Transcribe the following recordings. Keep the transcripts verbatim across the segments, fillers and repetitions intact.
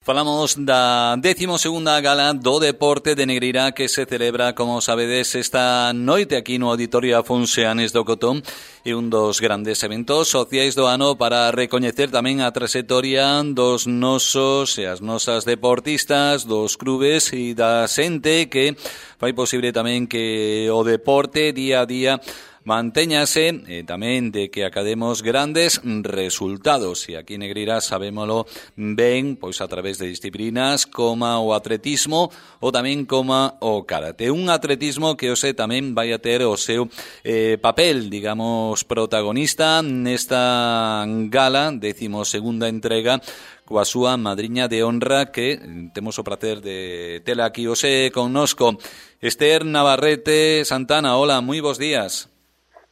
Falamos da décimo segunda gala do Deporte de Negreira que se celebra, como sabedes, esta noite aquí no Auditorio Afonso Anes do Cotón, e un dos grandes eventos sociais do ano para recoñecer tamén a traxectoria dos nosos e as nosas deportistas, dos clubes e da xente que fai posible tamén que o deporte día a día mantéñase e tamén de que academos grandes resultados, e aquí en Negreira sabémolo ben, pois a través de disciplinas como o atletismo ou tamén como o karate. Un atletismo que hoxe tamén vai a ter o seu eh, papel, digamos, protagonista nesta gala, décimo segunda entrega, coa súa madriña de honra, que temos o prazer de tela aquí hoxe connosco. Esther Navarrete Santana, hola, moi bons días.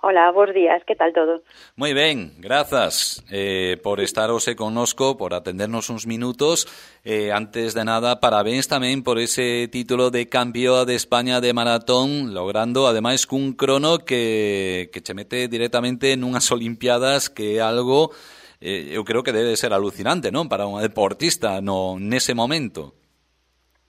Hola, bons días, que tal todo? Moi ben, grazas eh, por estar hoxe connosco, por atendernos uns minutos. Eh, antes de nada, parabéns tamén por ese título de campeoa de España de maratón, logrando ademais cun crono que, que che mete directamente nunhas Olimpiadas, que é algo, eh, eu creo que debe ser alucinante, non? Para unha deportista no nese momento.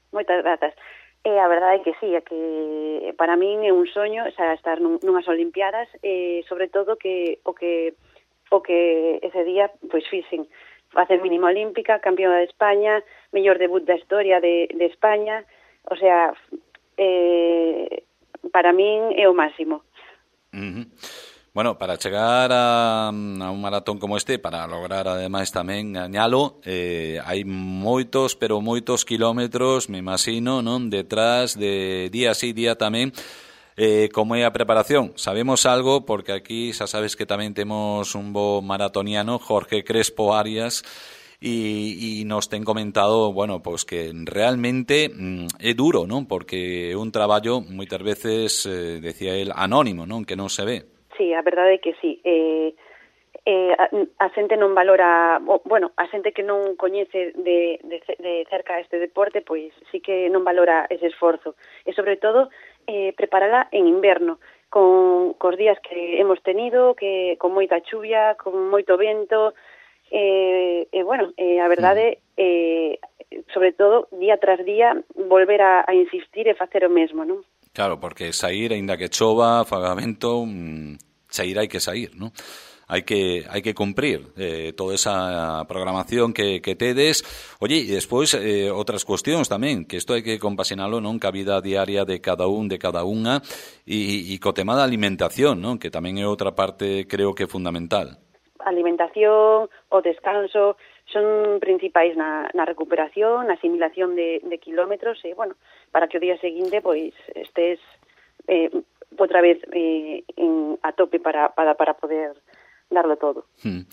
Moitas grazas. E a verdade é que sí, é que para min é un soño xa estar nunhas Olimpiadas, e sobre todo que o que o que ese día pois fixen facer mínima olímpica, campeona de España, mellor debut da historia de, de España, o sea, eh, para min é o máximo. Uh-huh. Bueno, para chegar a, a un maratón como este, para lograr ademais tamén gañalo, eh, hai moitos, pero moitos kilómetros, me imagino, non, detrás de día sí, día tamén, eh, como é a preparación. Sabemos algo, porque aquí xa sabes que tamén temos un bo maratoniano, Jorge Crespo Arias, e, e nos ten comentado, bueno, pois que realmente mm, é duro, non, porque é un traballo moitas veces, eh, decía el, anónimo, non, que non se ve. Sí, a verdade é que sí. Eh, eh, a, a xente non valora, bueno, a xente que non coñece de, de, de cerca este deporte, pois sí que non valora ese esforzo. E sobre todo, eh, preparala en inverno, con cos días que hemos tenido, que con moita chuvia, con moito vento, e eh, eh, bueno, eh, a verdade, eh, sobre todo, día tras día, volver a, a insistir e facer o mesmo, non? Claro, porque sair, aínda que chova, faga vento, mmm, sair hai que sair, ¿no? Hai que hai que cumprir eh, toda esa programación que, que tedes. Oye, e despois eh, outras cuestións tamén, que isto hai que compaxinalo, non, ca vida diaria de cada un, de cada unha, e, e co tema da alimentación, non, que tamén é outra parte, creo que fundamental. A alimentación, o descanso, son principais na, na recuperación, na asimilación de, de kilómetros, e, bueno, para que o día seguinte, pois, estés eh, outra vez eh, en, a tope para, para, para poder darlo todo. Hmm.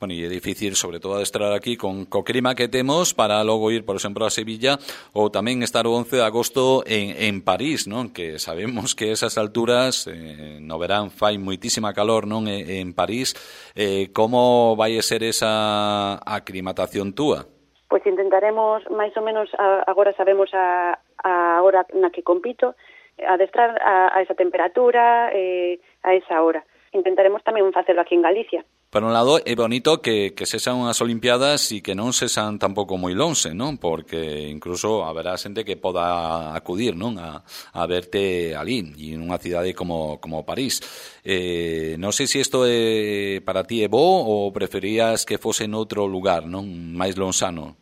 Bueno, e é difícil, sobre todo, estar aquí con co clima que temos para logo ir, por exemplo, a Sevilla, ou tamén estar o once de agosto en, en París, non? Que sabemos que esas alturas, eh, no verán, fai moitísima calor, non? En, en París. Eh, como vai ser esa aclimatación túa? Pois intentaremos, máis ou menos, a, agora sabemos a, a hora na que compito, adestrar a, a esa temperatura, eh, a esa hora. Intentaremos tamén facelo aquí en Galicia. Por un lado, é bonito que, que sexan unhas Olimpiadas e que non sexan tampouco moi lonxe, non? Porque incluso haberá xente que poda acudir, non? A, a verte ali, e nunha cidade como, como París. Eh, non sei se isto é, para ti é bo ou preferías que fose en outro lugar, non? Mais lonxano.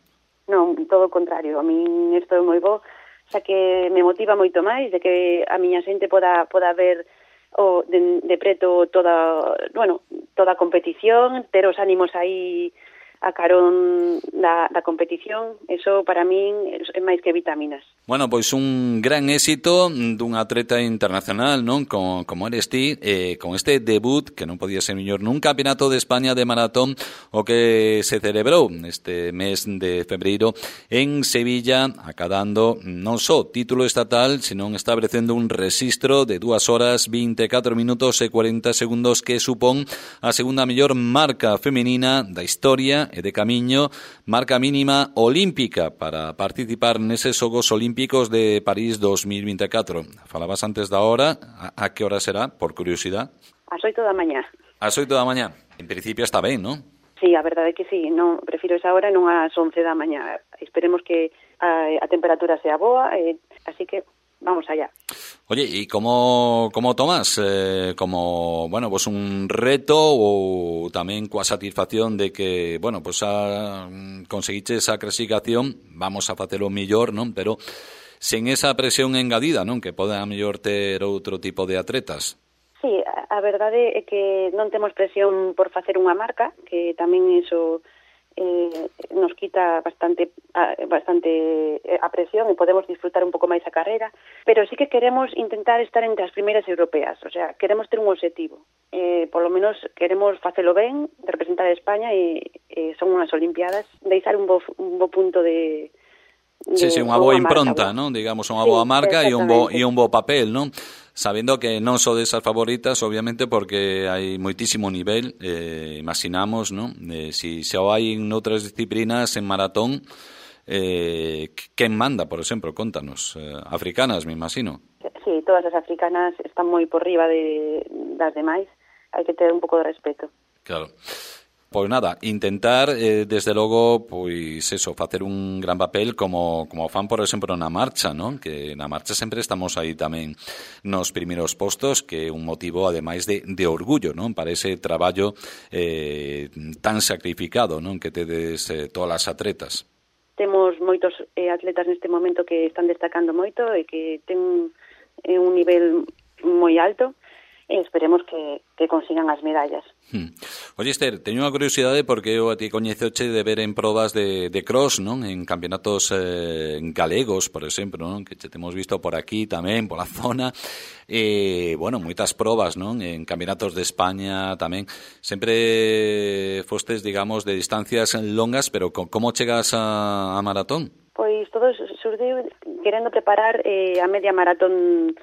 Non, todo o contrario. A min isto é moi bo, xa que me motiva moito máis de que a miña xente poda, poda ver o de, de preto toda, bueno, toda a competición, ter os ánimos aí a carón da, da competición, eso para min é máis que vitaminas. Bueno, pois un gran éxito dun atleta internacional, non? Como, como eres ti, eh, con este debut, que non podía ser mellor, nun campeonato de España de maratón, o que se celebrou este mes de febreiro en Sevilla, acadando non só título estatal, senón establecendo un rexistro de dúas horas, vinte e catro minutos e cuarenta segundos, que supón a segunda mellor marca femenina da historia e de camiño, marca mínima olímpica para participar neses Xogos Olímpicos de París dos mil vinte e catro. Falabas antes da hora, a, a que hora será, por curiosidade? Ás oito da mañá. Ás oito da mañá. En principio está ben, non? Sí, a verdade é que sí, non, prefiro esa hora e non ás once da mañá. Esperemos que a, a temperatura sea boa, eh, así que vamos allá. Oye, ¿y cómo, cómo tomas? Eh, como, bueno, pues un reto ou tamén coa satisfacción de que, bueno, pues a, conseguiche esa clasificación, vamos a facelo mellor, non? Pero sen esa presión engadida, non? Que pode a mellor ter outro tipo de atletas. Sí, a verdade é que non temos presión por facer unha marca, que tamén iso eh, nos quita bastante bastante a presión e podemos disfrutar un pouco máis a carreira, pero sí que queremos intentar estar entre as primeiras europeas, o sea, queremos ter un objetivo. Eh, por lo menos queremos facelo ben, representar a España e, e son unhas olimpiadas, deixar un bo, un bo punto de Sí, sí, unha boa impronta, non? Digamos, unha boa marca e un bo e un bo papel, non? Sabiendo que non son desas favoritas, obviamente, porque hai moitísimo nivel, eh, imaginamos, non? Eh, si se o hai en outras disciplinas, en maratón, eh, quen manda, por exemplo, contanos, eh, africanas, me imagino. Sí, todas as africanas están moi por riba de das demais, hai que ter un pouco de respeto. Claro. Pois nada, intentar, eh, desde logo, pois eso, facer un gran papel como, como fan, por exemplo, na marcha, non? Que na marcha sempre estamos aí tamén nos primeiros postos, que é un motivo, ademais, de, de orgullo, non? Para ese traballo eh, tan sacrificado, non? Que tedes eh, todas as atletas. Temos moitos eh, atletas neste momento que están destacando moito e que ten eh, un nivel moi alto, e esperemos que, que consigan as medallas. Hmm. Oye, Esther, teño unha curiosidade porque eu a ti coñezoche de ver en probas de, de cross, non? En campeonatos eh, galegos, por exemplo, non? Que te temos visto por aquí tamén, pola zona. E, bueno, moitas probas, non? En campeonatos de España tamén. Sempre fostes, digamos, de distancias longas, pero como chegas a, a maratón? Pois todo surdiu querendo preparar eh, a media maratón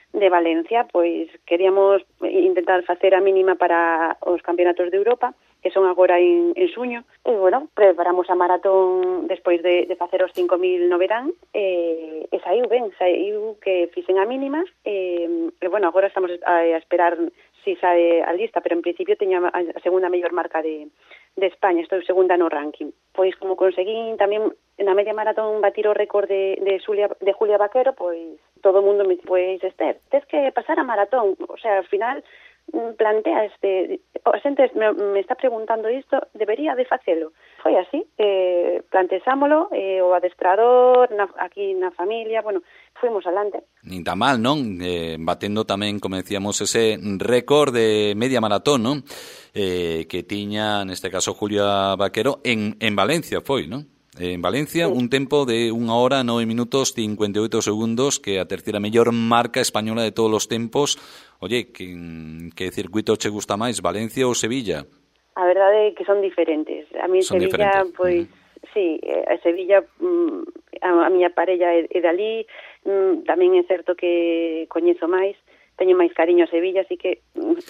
de Valencia, pois queríamos intentar facer a mínima para os campeonatos de Europa, que son agora en, en suño, e, bueno, preparamos a maratón despois de, de facer os cinco mil no verán, e, e saiu ben, saiu que fixen a mínima, e, e bueno, agora estamos a, a esperar si sae a lista, pero en principio teño a, a segunda mellor marca de, de España, estou segunda no ranking. Pois como conseguín tamén na media maratón batir o récord de, de, Xulia, de Julia Vaquero, pois todo o mundo me dice, pois Esther, tens que pasar a maratón, o sea, ao final plantea este, a xente me, me está preguntando isto, debería de facelo. Foi así, eh, planteámoslo, eh, o adestrador, na, aquí na familia, bueno, fuimos alante. Nin tan mal, non? Eh, batendo tamén, como decíamos, ese récord de media maratón, non? Eh, que tiña, neste caso, Julia Vaquero, en, en Valencia foi, non? En Valencia, sí. Un tempo de unha hora, nove minutos, cincuenta e oito segundos, que é a terceira mellor marca española de todos os tempos. Oye, que, que circuito che gusta máis, Valencia ou Sevilla? A verdade é que son diferentes. A mí son Sevilla, diferentes. pois, uh-huh. Sí, a Sevilla, a, a miña parella é, é dali, tamén é certo que coñezo máis, teño máis cariño a Sevilla, así que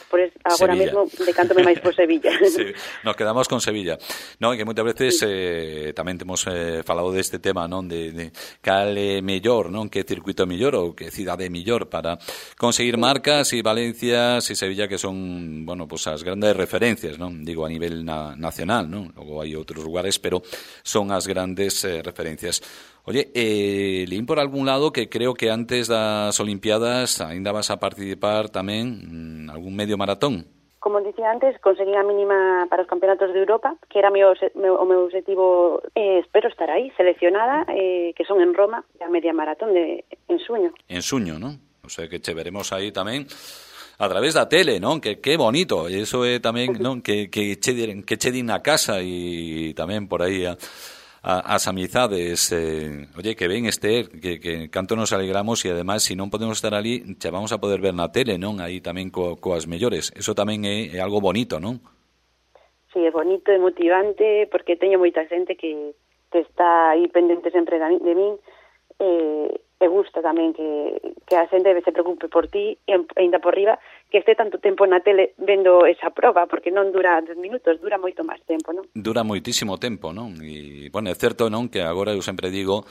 por es, agora Sevilla. mesmo decántome máis por Sevilla. Sí, nos quedamos con Sevilla. No, que moitas veces sí. eh, tamén temos eh, falado deste tema, non, de, de cal é mellor, non, que circuito mellor ou que cidade mellor para conseguir sí. marcas, e Valencia e Sevilla, que son, bueno, pues as grandes referencias, non, digo a nivel na, nacional, non, logo hai outros lugares, pero son as grandes eh, referencias. Oye, eh, leín por algún lado que creo que antes das Olimpiadas ainda vas a participar tamén en algún medio maratón. Como dicía antes, conseguí a mínima para os campeonatos de Europa, que era meu, meu, o meu objetivo, eh, espero estar aí, seleccionada, eh, que son en Roma, a media maratón de en suño. En suño, non? O sea, que che veremos aí tamén a través da tele, non? Que que bonito, eso é tamén, non, que que che diren, que che din na casa e tamén por aí a A, as amizades, eh, oye, que ben, Esther, que, que canto nos alegramos, e ademais, se non podemos estar ali, che vamos a poder ver na tele, non? Aí tamén co, coas mellores. Eso tamén é, é algo bonito, non? Sí, é bonito, é motivante, porque teño moita xente que, que está aí pendente sempre de, de min, e, e gusta tamén que, que a xente se preocupe por ti, e ainda por riba, que este tanto tempo na tele vendo esa proba, porque non dura dez minutos, dura moito máis tempo, non? Dura moitísimo tempo, non? E, bueno, é certo, non, que agora eu sempre digo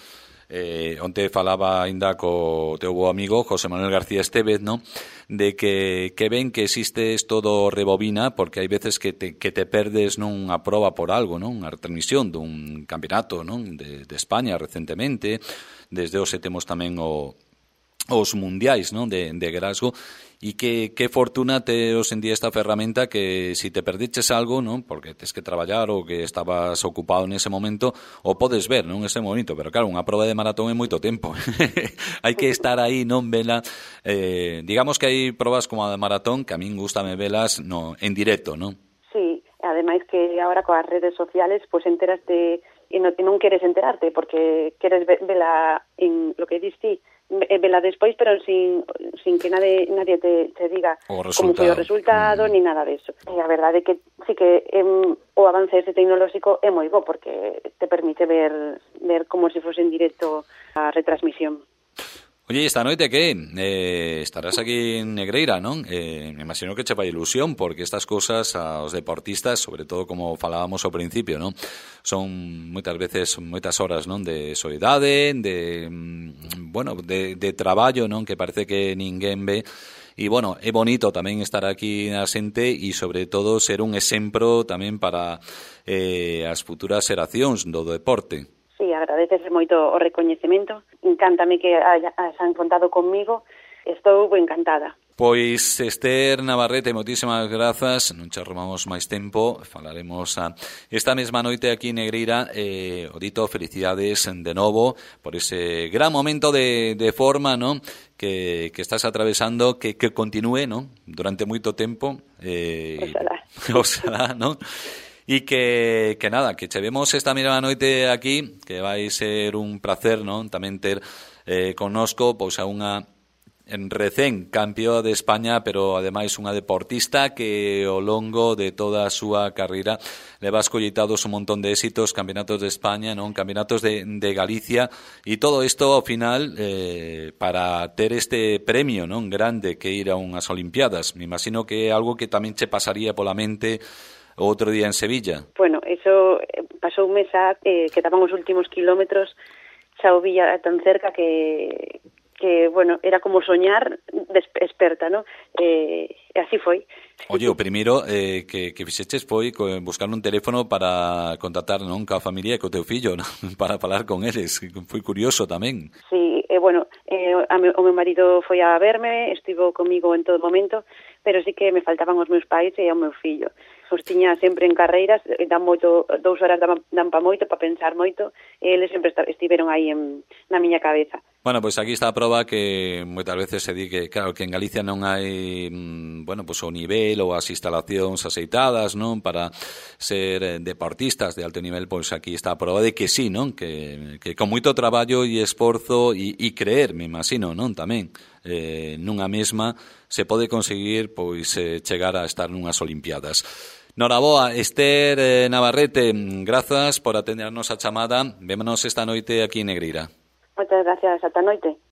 Eh, onte falaba ainda co teu bo amigo José Manuel García Estévez, ¿no? De que, que ven que existe esto do rebobina, porque hai veces que te, que te perdes nunha proba por algo, non? Unha retransmisión dun campeonato, non? De, de España recentemente, desde hoxe temos tamén o os mundiais, non? De, de Glasgow, e que, que fortuna te os en día esta ferramenta que si te perdiches algo, non? Porque tes que traballar ou que estabas ocupado nese momento, o podes ver, non? Ese momento, pero claro, unha proba de maratón é moito tempo. Hai que estar aí, non vela. Eh, digamos que hai probas como a de maratón que a min gustame velas no, en directo, non? Sí, ademais que agora coas redes sociales, pois pues, enteraste e non, e non queres enterarte porque queres vela en lo que diste vela despois, pero sin, sin que nadie, nadie te, te diga como foi o resultado, mm. ni nada deso. E a verdade é que sí que em, o avance este tecnolóxico é moi bo, porque te permite ver, ver como se fose en directo a retransmisión. Oye, esta noite que eh, estarás aquí en Negreira, non? Eh, me imagino que che fai ilusión, porque estas cousas aos deportistas, sobre todo como falábamos ao principio, non? Son moitas veces, moitas horas, non? De soidade, de, bueno, de, de traballo, non? Que parece que ninguén ve. E, bueno, é bonito tamén estar aquí na xente e, sobre todo, ser un exemplo tamén para eh, as futuras xeracións do deporte. Sí, agradecese moito o recoñecemento. Encántame que hayan contado conmigo. Estou encantada. Pois, Esther Navarrete, moitísimas grazas. Non che robamos máis tempo. Falaremos a esta mesma noite aquí en Negreira. Eh, o dito, felicidades de novo por ese gran momento de, de forma, ¿no? Que, que estás atravesando, que, que continúe, ¿no? Durante moito tempo. Eh, oxalá. Oxalá, ¿no? E que, que nada, que che vemos esta mesma noite aquí, que vai ser un placer, non? Tamén ter eh, connosco pois a unha en recén campeón de España, pero ademais unha deportista que ao longo de toda a súa carreira leva escollitados un montón de éxitos, campeonatos de España, non, campeonatos de, de Galicia, e todo isto ao final eh, para ter este premio, non, grande que ir a unhas Olimpiadas. Me imagino que é algo que tamén che pasaría pola mente outro día en Sevilla. Bueno, eso pasou un mes a, eh, que estaban os últimos kilómetros, xa o villa tan cerca que, que bueno, era como soñar experta, ¿no? Eh, e así foi. Oye, o primeiro eh, que, que fixeches foi buscar un teléfono para contactar, non, ca familia e co teu fillo, non? Para falar con eles. Foi curioso tamén. Sí, eh, bueno, eh, a me, o meu marido foi a verme, estivo comigo en todo momento, pero sí que me faltaban os meus pais e o meu fillo. Os tiña sempre en carreiras, dan moito, dous horas dan, dan pa moito, pa pensar moito, e eles sempre estiveron aí en, na miña cabeza. Bueno, pois pues aquí está a proba que moitas veces se di que, claro, que en Galicia non hai, bueno, pois pues, o nivel ou as instalacións aceitadas, non, para ser deportistas de alto nivel, pois pues aquí está a proba de que sí, non, que, que con moito traballo e esforzo e, e creer, me imagino, non, tamén, eh, nunha mesma se pode conseguir, pois, eh, chegar a estar nunhas Olimpiadas. Noraboa, Esther eh, Navarrete, grazas por atendernos a chamada. Vémonos esta noite aquí en Negreira. Moitas gracias, ata noite.